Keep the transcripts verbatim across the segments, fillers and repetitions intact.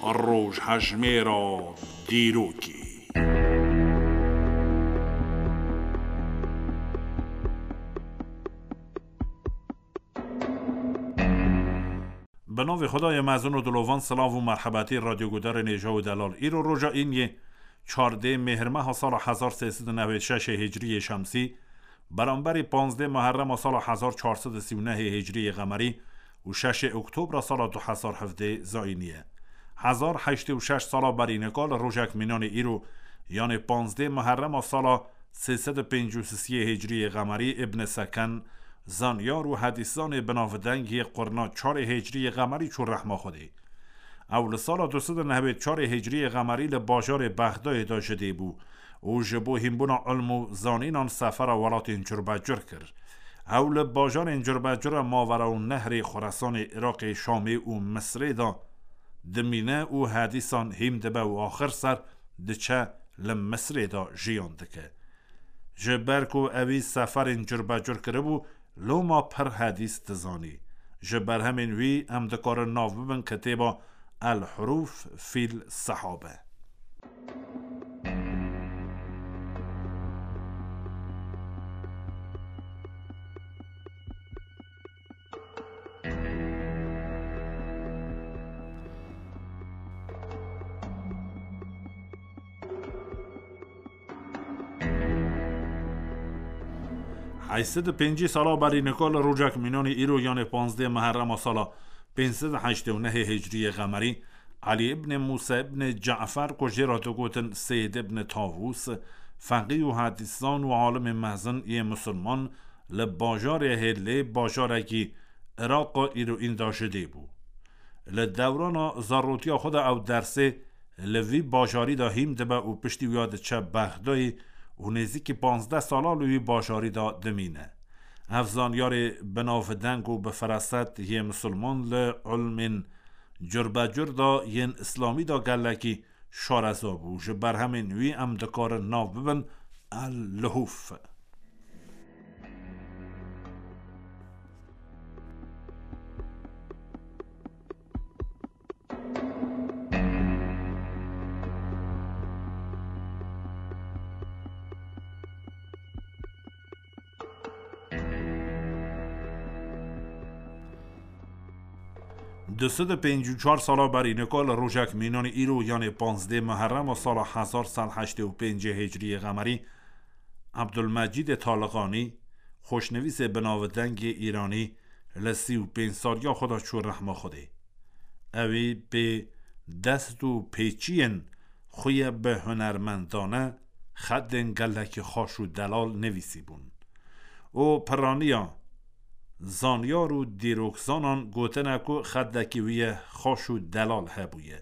Rojhejmêra dîrokê. Bi navê Xwedayê mezin û dilovan, silav û merhebetî radyogudarên hêja û delal. Îro roja îniyê çardê mêhrmeha sala hezar sê sed û newêd şeşê hicriyê şemsî, beramberî panzdê Muherrema sala hezar çar sed û sî û nehê hicriyê qemerî û şeşê Oktobra sala du hezar hevdê zayînî ye. Hezar heştê û şeş sala berî nika li rojek mînanê îro, yanê panzdê Muherrema sala sê sed û pêncî û sisiyê hicriyê qemerî, Ibn Seken, zanyar û hedîszanê binavdeng yê qurna çarê hicriyê qemerî çû rehma Xwedê. Ew li sala du sed û newêd çarê hicriyê qemerî li bajarê Bexdayê de ji dê bû û ji bo hînbûna ilm û zanînan sefera welatên curbecur kir. Ew li bajarên curbecura Mavera û Nehrê Xuresanê, Iraqê, Şamê û Misrê de dimîne û hedîsan hîm dibe û axir ser diçe li Misrê de jiyan dike. Ji ber ku ewî seferên curbecur kiribû, loma pir hedîs dizanî. Ji berhemên wî em dikarin nav bibin kitêba El Huruf fil Sehabe. Heyşt sed û pêncî sala berî nika li rojek mînanê îro, yanê panzdê Muherrema sala pênc sed û heştê û nehê hicriyê qemerî, Elî ibn Mûsa ibn Cafer, ku jê re digotin Seyyid ibn Tawûs, feqî û hedîszan û alimê mezin yê misilman, li bajarê Hêlê, bajarekî Iraqa îroîn de ji dê bû. Li dewrana zarotiya xwe de ew dersê li vî bajarî de hîm dibe û piştî wiya diçe Bexdayê û nêzîkî panzdeh sala li wî bajarî de dimîne. Ev zanyarê binavdeng û bi feraset yê misilman li ilmên curbecur de yên îslamî de gelekî şareza bû. Ji berhemên wî em dikarin nav bibin El Luhûf. Du sed û pêncî û çar sala berî nika li rojek mînanê îro, yanê panzdê Muherrema sala hezar sed heştê û pêncê hicriyê qemerî, Ebdulmecîdê Taliqanî, xweşnivîsê binavdengê îranî, li sî û pênc saliya xwe de çû rehma Xwedê. Ewî pê dest û pêçiyên xwe ye bi hunermendane xetên gelekî xweş û delal nivîsîbûn. Û piraniya zanyar û dîrokzanan gotine ku xetekî wî ye xweş û delal hebûye.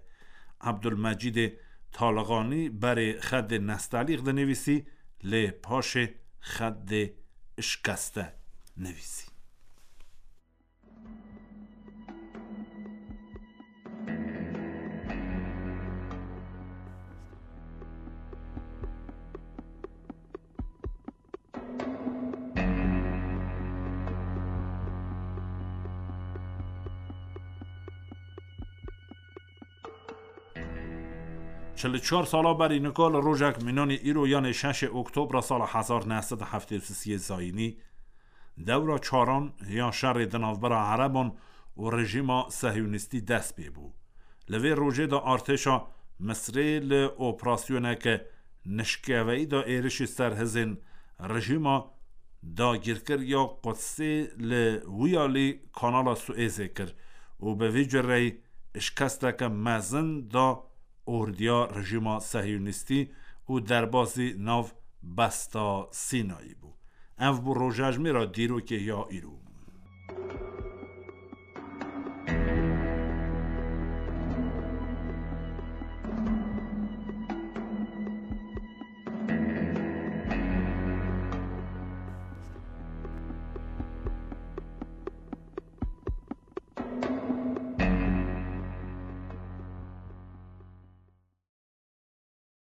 Ebdulmecîdê Taliqanî berê xetê Nestelîq dinivîsî, lê paşê xetê Işkeste nivîsî. Çil û çar sala berî nika li rojek mînanê îro, yanê şeşê Oktobra sala hezar neh sed û heftê û sisiyê zayînî, dewra çaran ya şerê di navbera Ereban û rejîma Sehyûnîstî dest pê bû. Li vê rojê de artêşa Misrê li operasyoneke nişkeveyî de êrişî ser hizên rejîma dagîrkir ya Qudsê li wiyalî Kanala Suêzê kir û bi vî cureyî şikesteke mezin da ordiya rejîma Sehyûnîstî û derbasî nav Besta Sînayî bû. Ev bû rojejmêra dîrokê ya îro.